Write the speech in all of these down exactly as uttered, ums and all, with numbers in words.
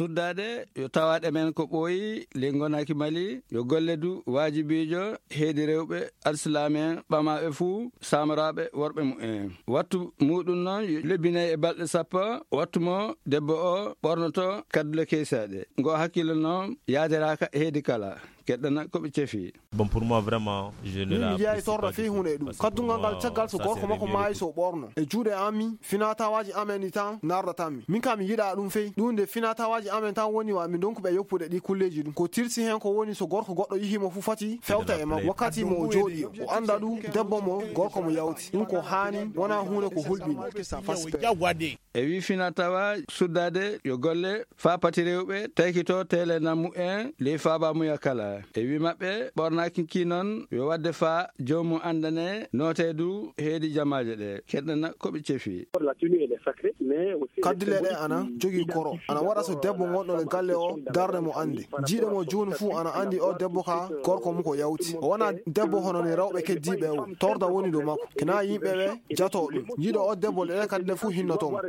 Suddaade yo tawaaɗe men ko ɓooyi ley ngonaaki Mali, yo golle du waajibiijo heedi rewɓe alsilaam'en ɓamaaɓe fuu, saamoraaɓe worɓe mumen. Wattu muuɗum noon yo lebbi nayi e balɗe sappo, wattu mo debbo o ɓornoto kaddule keysaaɗe. Ngo hakkille noon yaadiraaka heedi kala. Keɗɗana ko ɓe cefi. Bon, pour moi, vraiment, je ne Min mi la jeyayi apprécie torra pas fii du hunde tout, ɗum parce que kaddungal pour ngal moi, caggal so ça, gorko c'est makko maayi réglé. So ɓorno e juuɗe ami finatawaaji amen ɗi tan nardatanmi. Min kam mi yiɗa ɗum fey ɗum nde finatawaaji amen tan woni wa mi donkuɓe yoppude ɗi kulleeji ɗum ko tirsi heen ko woni so gorko goɗɗo yihii mo fuu fati fewta e makko wakkati mo o jooɗi o annda ɗum debbo mo gorko mo yawti ɗum ko haani wona huunde ko hulɓini. E wi fina tawa suddaade yo golle faa pati rewɓe taykito tele nammu en ley faabaamuya kala. E wi maɓɓe ɓornaaki ki noon yo waɗde faa joomum anndane nooteedu heedi jamaaje ɗe keɗɗana ko ɓe cefi. Kaddule ɗe ana jogii koro ana waɗa so debbo gonɗo e galle o darde mo anndi jiiɗo mo juuni fuu ana anndi o debbo ka gorko mum ko yawti o wona debbo hono ni rewɓe keddiiɓe o torda woni dow makko kina yimɓe ɓe jato ɗum yiɗo o debbo ɗe kadi ɗe fuu hinnoto mo.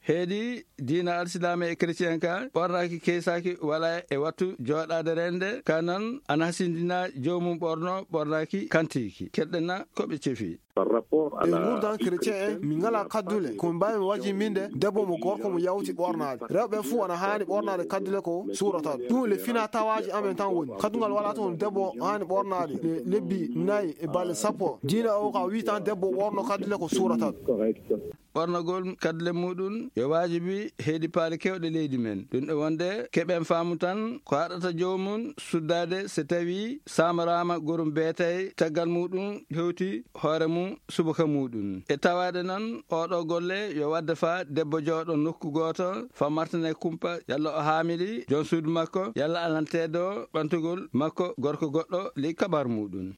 Heedi diina alsilaame e chrétien ka ɓornaaki keysaaki wala e wattu jooɗaade rende ka noon ana hasindina joomum ɓorno ɓornaaki kantiiki keɗɗena ko ɓe cefi. E nguurdan chrétien en mi ngala kaddule ko mi mbaawi mi waji minde debbo mo gorko mo yawti ɓornaade rewɓe fuu ana haani ɓornaade kaddule ko suurata ɗum le fina tawaaji amen tan woni kaddungal wala toon debbo haani ɓornaade e lebbi nayi e balɗe sappo diina o ka wi tan debbo ɓorno kaddule ko suurata. Ɓornagol kaddule muɗum yo waajibi heedi paale kewɗe leydi men ɗum ɗo wonde keɓen faamu tan ko haɗata joomum suddaade so tawi samaraama gorum beetay caggal muɗum hewti hoore mum subaka muɗum e tawaade noon oɗo golle yo wadde faa debbo jooɗo nokku gooto faa martane kumpa yalla o haamili joom suudu makko yalla alanteedo ɓantugol makko gorko goɗɗo ley kabar muɗum.